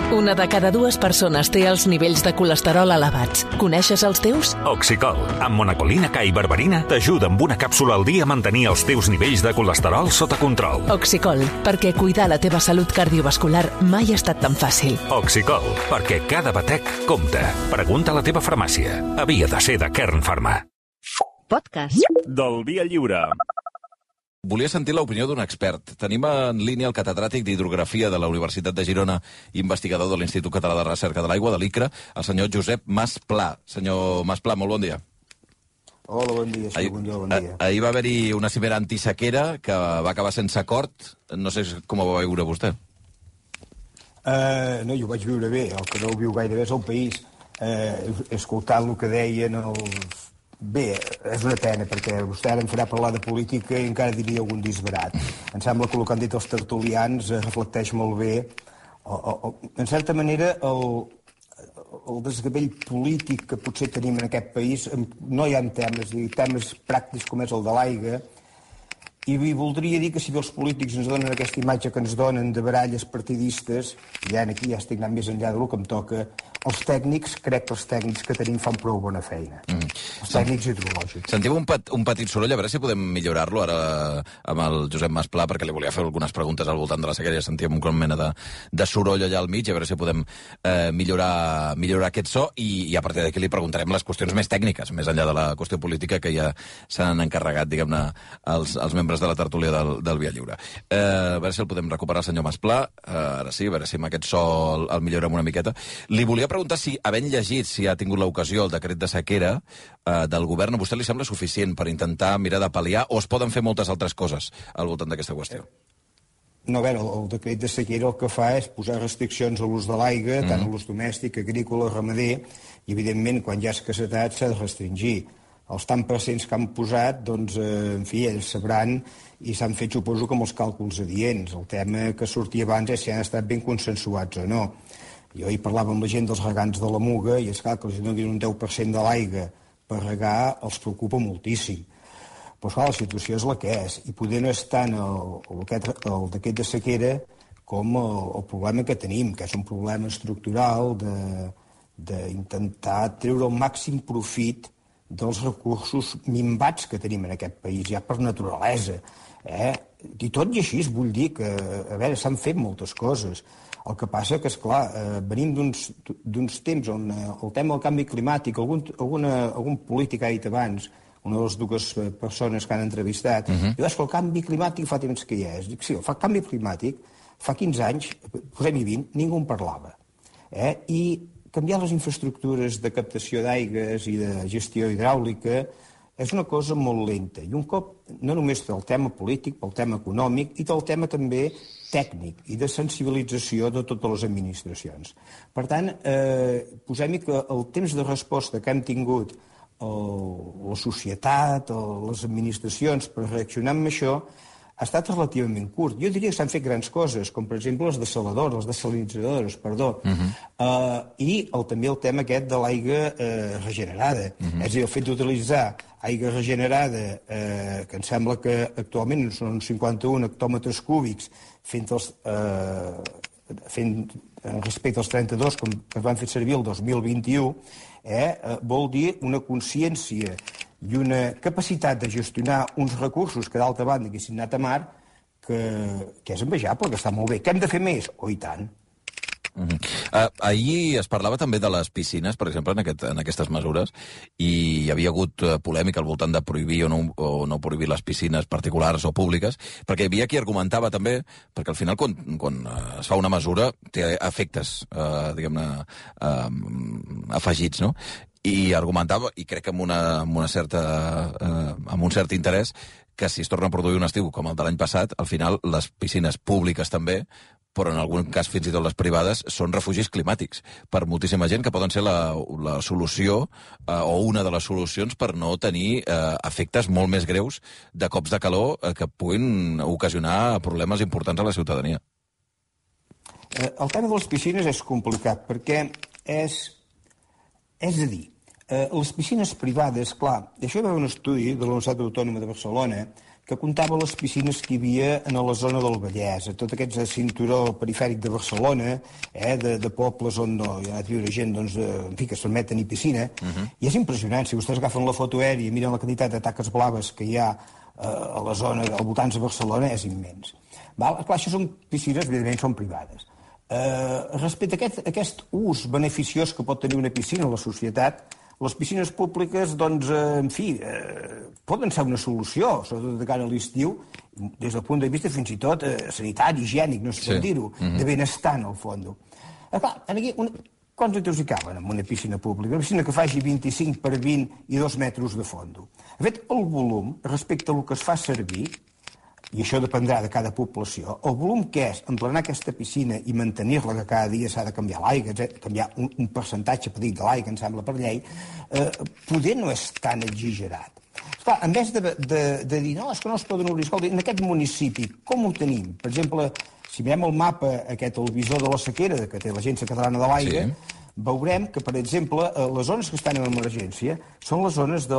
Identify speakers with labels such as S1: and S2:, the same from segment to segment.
S1: Una de cada dues persones té els nivells de colesterol elevats. Coneixes els teus?
S2: Oxicol, amb monacolina K i berberina, t'ajuda amb una càpsula al dia a mantenir els teus nivells de colesterol sota control.
S1: Oxicol, perquè cuidar la teva salut cardiovascular mai ha estat tan fàcil.
S2: Oxicol, perquè cada batec compta. Pregunta a la teva farmàcia. Havia de ser de Kern Pharma.
S3: Podcast
S4: del Via Lliure.
S5: Volia sentir l'opinió d'un expert. Tenim en línia el catedràtic d'Hidrografia de la Universitat de Girona, investigador de l'Institut Català de Recerca de l'Aigua, de l'ICRA, el senyor Josep Masplà. Senyor Masplà, molt bon dia.
S6: Hola, bon dia, bon dia.
S5: Ahir va haver-hi una cimera antisequera que va acabar sense acord. No sé com ho va veure vostè.
S6: No, jo ho vaig viure bé. El que no ho viu gaire bé és el país. Escoltant el que deien els... Bé, és una pena, perquè vostè ara em farà parlar de política i encara diria algun disbarat. Em sembla que el que han dit els tertulians reflecteix molt bé, en certa manera, el desgavell polític que potser tenim en aquest país. No hi ha temes pràctics com és el de l'aigua, i voldria dir que si els polítics ens donen aquesta imatge que ens donen de baralles partidistes, i aquí ja estic anant més enllà del que em toca, els tècnics, crec que els tècnics que tenim fan prou bona feina. Els tècnics hidrològics.
S5: Sentiu un petit soroll, a veure si podem millorar-lo ara amb el Josep Masplà, perquè li volia fer algunes preguntes al voltant de la sequera, ja sentíem una mena de soroll allà al mig, a veure si podem millorar aquest so, i a partir d'aquí li preguntarem les qüestions més tècniques, més enllà de la qüestió política, que ja s'han encarregat, diguem-ne, els membres de la tertúlia del Via Lliure. A veure si el podem recuperar, el senyor Masplà. Ara sí, a veure si amb aquest so el millorem una miqueta. Li volia preguntar si, havent llegit, si ha tingut l'ocasió el decret de sequera del govern, a vostè li sembla suficient per intentar mirar de pal·liar, o es poden fer moltes altres coses al voltant d'aquesta qüestió?
S6: No, a veure, el decret de sequera el que fa és posar restriccions a l'ús de l'aigua, tant a l'ús domèstic, agrícola, ramader, i evidentment, quan hi ha escassetat, s'ha de restringir. Els tant percents que han posat, doncs, en fi, ells sabran, i s'han fet, suposo, com els càlculs adients. El tema que sortia abans és si han estat ben consensuats o no. Jo hi parlava amb la gent dels regants de la Muga, i és clar que els donin un 10% de l'aigua per regar els preocupa moltíssim. Però clar, la situació és la que és, i poder no és tant el decret de sequera com el problema que tenim, que és un problema estructural d'intentar treure el màxim profit dels recursos minvats que tenim en aquest país, ja per naturalesa. I tot i així, vull dir que, a veure, s'han fet moltes coses. El que passa que, esclar, venim d'uns temps on el tema del canvi climàtic, algun polític ha dit abans, una de les dues persones que han entrevistat, diu, és que el canvi climàtic fa temps que hi és. Dic, sí, el canvi climàtic, fa 15 anys, posem-hi 20, ningú en parlava. I canviar les infraestructures de captació d'aigües i de gestió hidràulica és una cosa molt lenta. I un cop, no només del tema polític, pel tema econòmic, i del tema també tècnic i de sensibilització de totes les administracions. Per tant, posem-hi que el temps de resposta que hem tingut la societat, les administracions per reaccionar amb això, ha estat relativament curt. Jo diria que s'han fet grans coses, com per exemple les desalinitzadores, i també el tema aquest de l'aigua regenerada. És a dir, el fet d'utilitzar aigua regenerada, que em sembla que actualment són 51 hectòmetres cúbics, respecte als 32 que es van fer servir el 2021, vol dir una consciència i una capacitat de gestionar uns recursos que d'altra banda haguessin anat a mar, que és envejable, que està molt bé. Que hem de fer més? Oh, i tant.
S5: Ahir es parlava també de les piscines, per exemple, en aquestes mesures, i hi havia hagut polèmica al voltant de prohibir o no prohibir les piscines particulars o públiques, perquè hi havia qui argumentava també, perquè al final quan es fa una mesura té efectes, diguem-ne, afegits, no? I argumentava, i crec que amb un cert interès, que si es torna a produir un estiu com el de l'any passat, al final les piscines públiques també, però en algun cas fins i tot les privades, són refugis climàtics per moltíssima gent, que poden ser la solució o una de les solucions per no tenir efectes molt més greus de cops de calor que puguin ocasionar problemes importants a la ciutadania.
S6: El tema de les piscines és complicat, perquè és a dir, les piscines privades, clar, això hi va haver un estudi de la Universitat Autònoma de Barcelona que comptava les piscines que hi havia a la zona del Vallès, a tot aquest cinturó perifèric de Barcelona, de pobles on hi ha viure gent que es permet tenir piscina, i és impressionant. Si vostès agafen la foto aèria i miren la quantitat de taques blaves que hi ha a la zona, al voltant de Barcelona, és immens. Clar, això són piscines, evidentment, són privades. Respecte a aquest ús beneficiós que pot tenir una piscina a la societat, les piscines públiques, poden ser una solució, sobretot de cara a l'estiu, des del punt de vista fins i tot sanitari, higiènic, no sé com dir-ho, de benestar, en el fons. Clar, aquí, quants litros hi caben en una piscina pública? Una piscina que faci 25 per 20 i 2 metres de fons. De fet, el volum, respecte al que es fa servir, i això dependrà de cada població, el volum que és emplenar aquesta piscina i mantenir-la, que cada dia s'ha de canviar l'aigua, canviar un percentatge petit de l'aigua, em sembla, per llei, poder no és tan exagerat. Esclar, en vez de dir, no, és que no es poden obrir, escolta, en aquest municipi, com ho tenim? Per exemple, si mirem el mapa, el visor de la sequera, que té l'Agència Catalana de l'Aigua, veurem que, per exemple, les zones que estan en emergència són les zones de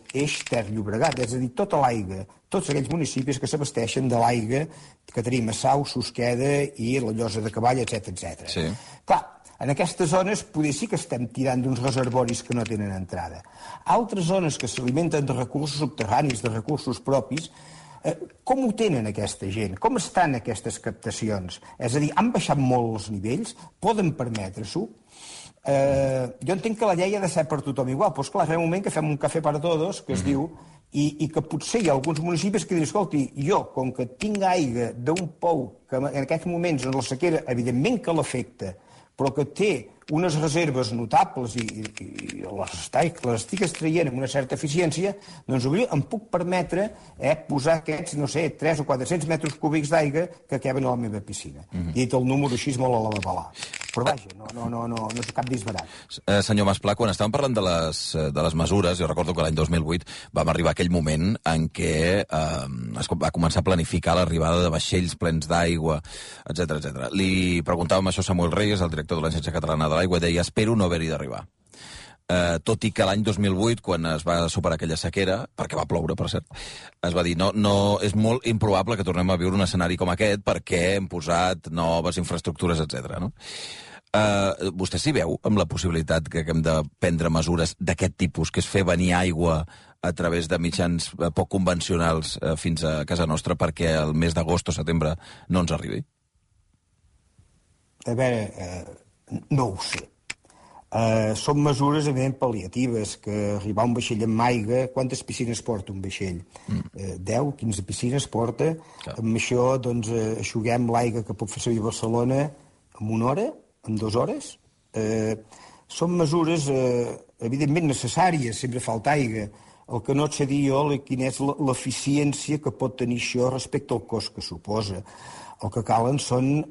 S6: l'eix Ter-Llobregat, és a dir, tota l'aigua, tots aquells municipis que s'abasteixen de l'aigua que tenim a Sau, Susqueda i la Llosa de Cavall, etc.
S5: Sí.
S6: Clar, en aquestes zones potser sí que estem tirant d'uns reservoris que no tenen entrada. Altres zones que s'alimenten de recursos subterranis, de recursos propis, com ho tenen aquesta gent? Com estan aquestes captacions? És a dir, han baixat molt els nivells? Poden permetre-s'ho? Jo entenc que la llei ha de ser per tothom igual, però esclar, hi ha un moment que fem un cafè para todos, que es diu, i que potser hi ha alguns municipis que diuen, escolti, jo, com que tinc aigua d'un pou que en aquests moments en la sequera, evidentment que l'afecta, però que té unes reserves notables i les estic extraient amb una certa eficiència, doncs em puc permetre posar aquests, no sé, 300 o 400 metres cúbics d'aigua que queben a la meva piscina. I dit el número així molt a la babalà. Però vaja, no és cap disbarat.
S5: Senyor Masplà, quan estàvem parlant de les mesures, jo recordo que l'any 2008 vam arribar a aquell moment en què es va començar a planificar l'arribada de vaixells plens d'aigua, etc. Li preguntàvem això a Samuel Reyes, el director de l'Agència Catalana de l'Aigua, deia, espero no haver-hi d'arribar. Tot i que l'any 2008, quan es va superar aquella sequera, perquè va ploure, per cert, es va dir, no, és molt improbable que tornem a viure un escenari com aquest perquè hem posat noves infraestructures, etc. No? Vostè s'hi veu amb la possibilitat que hem de prendre mesures d'aquest tipus, que és fer venir aigua a través de mitjans poc convencionals fins a casa nostra perquè el mes d'agost o setembre no ens arribi?
S6: A veure, no ho sé. Són mesures, evidentment, pal·liatives, que arribar un vaixell amb aigua... Quantes piscines porta un vaixell? 10, 15 piscines porta. Clar. Amb això, doncs, aixuguem l'aigua que pot fer servir Barcelona en 1 hora, en 2 hores. Són mesures, evidentment, necessàries, sempre falta aigua. El que no et sé dir jo, quina és l'eficiència que pot tenir això respecte al cost que suposa. El que calen són...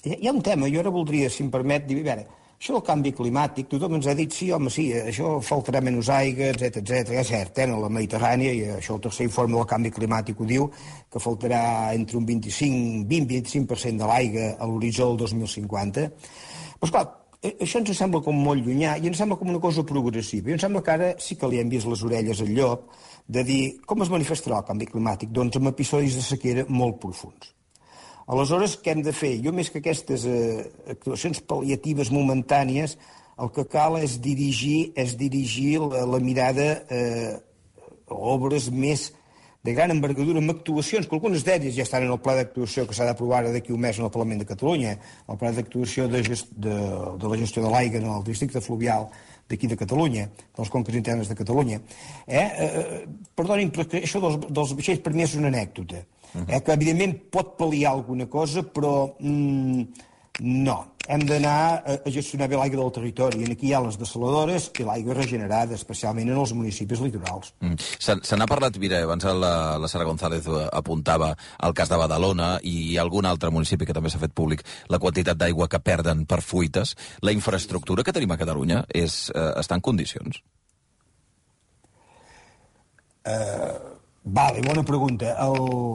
S6: Hi ha un tema, jo ara voldria, si em permet, dir, a veure, això del canvi climàtic, tothom ens ha dit, sí, home, sí, això faltarà menys aigua, etc. És cert, a la Mediterrània, i això el tercer informe del canvi climàtic ho diu, que faltarà entre un 20-25% de l'aigua a l'horitzó del 2050. Però, esclar, això ens sembla com molt llunyà i ens sembla com una cosa progressiva. I em sembla que ara sí que li hem vist les orelles al llop de dir com es manifestarà el canvi climàtic? Doncs amb episodis de sequera molt profuns. Aleshores, què hem de fer? Jo, més que aquestes actuacions pal·liatives momentànies, el que cal és dirigir la mirada a obres més de gran envergadura, amb actuacions, que algunes d'elles ja estan en el pla d'actuació que s'ha d'aprovar d'aquí un mes en el Parlament de Catalunya, el pla d'actuació de la gestió de l'aigua en el districte fluvial d'aquí de Catalunya, de les conques internes de Catalunya. Perdonin, però això dels vaixells per mi és una anècdota. Que evidentment pot pal·liar alguna cosa, però no. Hem d'anar a gestionar bé l'aigua del territori. I aquí hi ha les dessaladores i l'aigua regenerada, especialment en els municipis litorals.
S5: Se n'ha parlat, mira, abans la Sara González apuntava al cas de Badalona i algun altre municipi que també s'ha fet públic la quantitat d'aigua que perden per fuites. La infraestructura que tenim a Catalunya està en condicions?
S6: Vale, bona pregunta.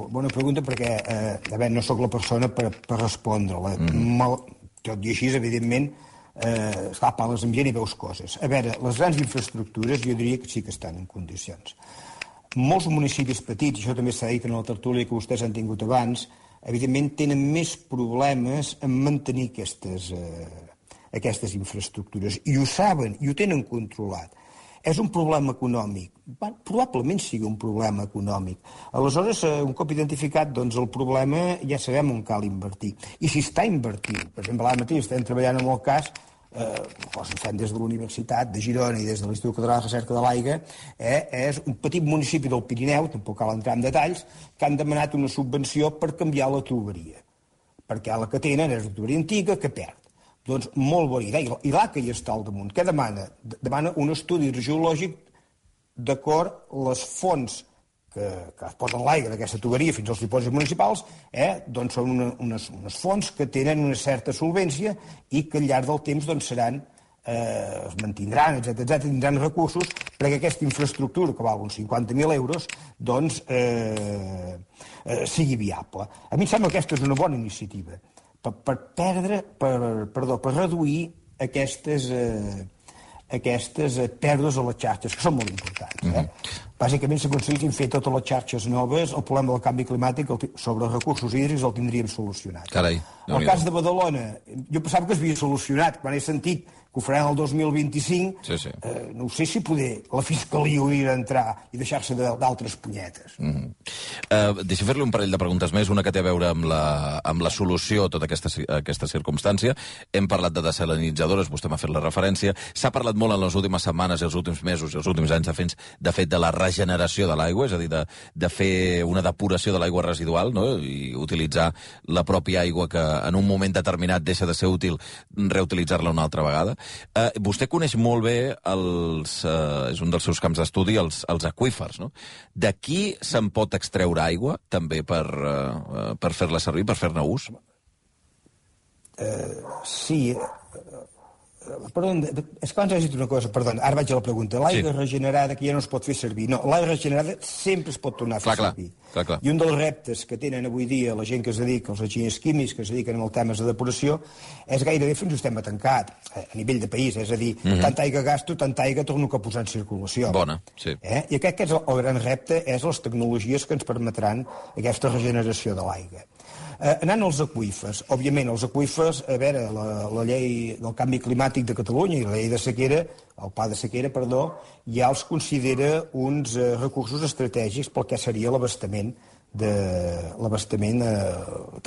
S6: Bona pregunta perquè no sóc la persona per respondre-la. Tot i així, evidentment, parles amb gent i veus coses. A veure, les grans infraestructures jo diria que sí que estan en condicions. molts municipis petits, això també s'ha dit en la tertúlia que vostès han tingut abans, evidentment tenen més problemes en mantenir aquestes infraestructures. I ho saben, i ho tenen controlat. És un problema econòmic. Probablement sigui un problema econòmic. Aleshores, un cop identificat el problema, ja sabem on cal invertir. I si està invertint, per exemple, ara mateix estem treballant en el cas, ho fem des de la Universitat de Girona i des de l'Institut Català de Recerca de l'Aigua, és un petit municipi del Pirineu, tampoc cal entrar en detalls, que han demanat una subvenció per canviar la tuberia. Perquè la que tenen és una tuberia antiga que perd. Doncs molt bona idea. I l'ACA hi està al damunt. Què demana? Demana un estudi geològic d'acord les fonts que es posen l'aigua d'aquesta tuberia fins als dipòsits municipals, doncs són unes fonts que tenen una certa solvència i que al llarg del temps seran, es mantindran, etc., tindran recursos perquè aquesta infraestructura, que val uns 50.000 euros, doncs sigui viable. A mi em sembla que aquesta és una bona iniciativa per reduir aquestes pèrdues a les xarxes, que són molt importants. Bàsicament, si aconseguissin fer totes les xarxes noves, el problema del canvi climàtic sobre els recursos hídrics el tindríem solucionat.
S5: Carai.
S6: El cas de Badalona, jo pensava que es havia solucionat, quan he sentit que ho faran el 2025, no sé si poder la Fiscalia hauria d'entrar i deixar-se d'altres punyetes.
S5: Deixa fer-li un parell de preguntes més, una que té a veure amb la solució a tota aquesta circumstància. Hem parlat de desalinitzadores, vostè m'ha fet la referència. S'ha parlat molt en les últimes setmanes i els últims mesos i els últims anys, de fet, de la regeneració de l'aigua, és a dir, de fer una depuració de l'aigua residual, no? I utilitzar la pròpia aigua que en un moment determinat deixa de ser útil, reutilitzar-la una altra vegada. Vostè coneix molt bé, és un dels seus camps d'estudi, els aqüífers, no? D'aquí se'n pot extreure aigua, també, per fer-la servir, per fer-ne ús?
S6: Sí. Perdó, és que abans has dit una cosa, perdó, ara vaig a la pregunta. L'aigua regenerada que ja no es pot fer servir. No, l'aigua regenerada sempre es pot tornar a fer servir.
S5: Clar.
S6: I un dels reptes que tenen avui dia la gent que es dedica, els enginyers químics que es dediquen als temes de depuració, és gairebé fins a sistema tancat, a nivell de país. És a dir, tanta aigua gasto, tanta aigua torno a posar en circulació.
S5: Bona, sí.
S6: I crec que el gran repte és les tecnologies que ens permetran aquesta regeneració de l'aigua. Anant als aqüífers, òbviament, els aqüífers, a veure, la llei del canvi climàtic de Catalunya i la llei de sequera, el pla de sequera, perdó, ja els considera uns recursos estratègics pel que seria l'abastament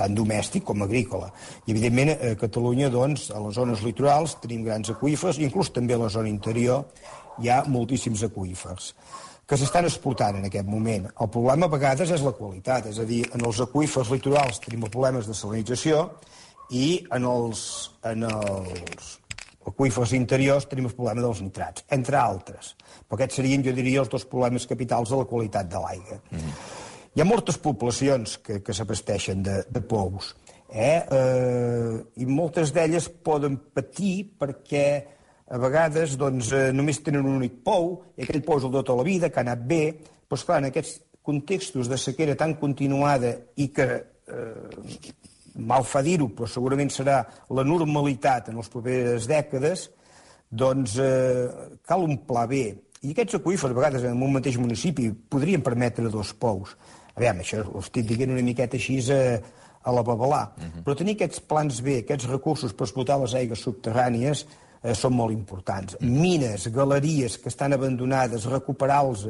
S6: tant domèstic com agrícola. I, evidentment, a Catalunya, doncs, a les zones litorals tenim grans aqüífers, inclús també a la zona interior hi ha moltíssims aqüífers que s'estan exportant en aquest moment. El problema a vegades és la qualitat, és a dir, en els aqüífers litorals tenim problemes de salinització i en els aqüífers interiors tenim el problema dels nitrats, entre altres. Però aquests serien, jo diria, els dos problemes capitals de la qualitat de l'aigua. Hi ha moltes poblacions que s'abasteixen de pous, i moltes d'elles poden patir perquè a vegades només tenen un únic pou, i aquell pou és el de tota la vida, que ha anat bé, però esclar, en aquests contextos de sequera tan continuada i que, mal fa dir-ho, però segurament serà la normalitat en les properes dècades, doncs cal un pla B. I aquests aqüífers, a vegades, en un mateix municipi, podrien permetre 2 pous. A veure, això ho estic dient una miqueta així a la babalà. Però tenir aquests plans B, aquests recursos per explotar les aigües subterrànies, són molt importants. Mines, galeries que estan abandonades, recuperar-los,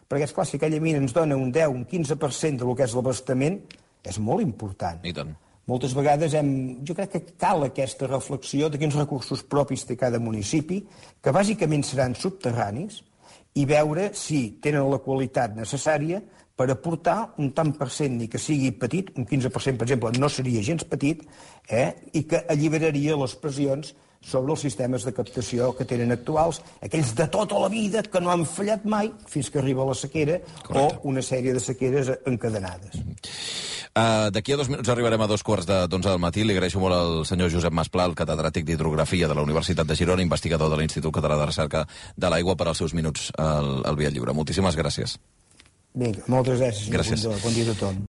S6: perquè, esclar, si aquella mina ens dona un 10, un 15% del que és l'abastament, és molt important.
S5: I tant.
S6: Moltes vegades jo crec que cal aquesta reflexió de quins recursos propis té cada municipi, que bàsicament seran subterranis, i veure si tenen la qualitat necessària per aportar un tant per cent, ni que sigui petit, un 15%, per exemple, no seria gens petit, i que alliberaria les pressions sobre els sistemes de captació que tenen actuals, aquells de tota la vida que no han fallat mai fins que arriba la sequera. Correcte. O una sèrie de sequeres encadenades.
S5: D'aquí a 2 minuts arribarem a 2:15 del matí. Li agraeixo molt al senyor Josep Masplà, el catedràtic d'Hidrografia de la Universitat de Girona, investigador de l'Institut Català de Recerca de l'Aigua, per als seus minuts al Via Lliure. Moltíssimes gràcies.
S6: Vinga, moltes gràcies.
S5: Gràcies.
S6: Bon dia a tothom.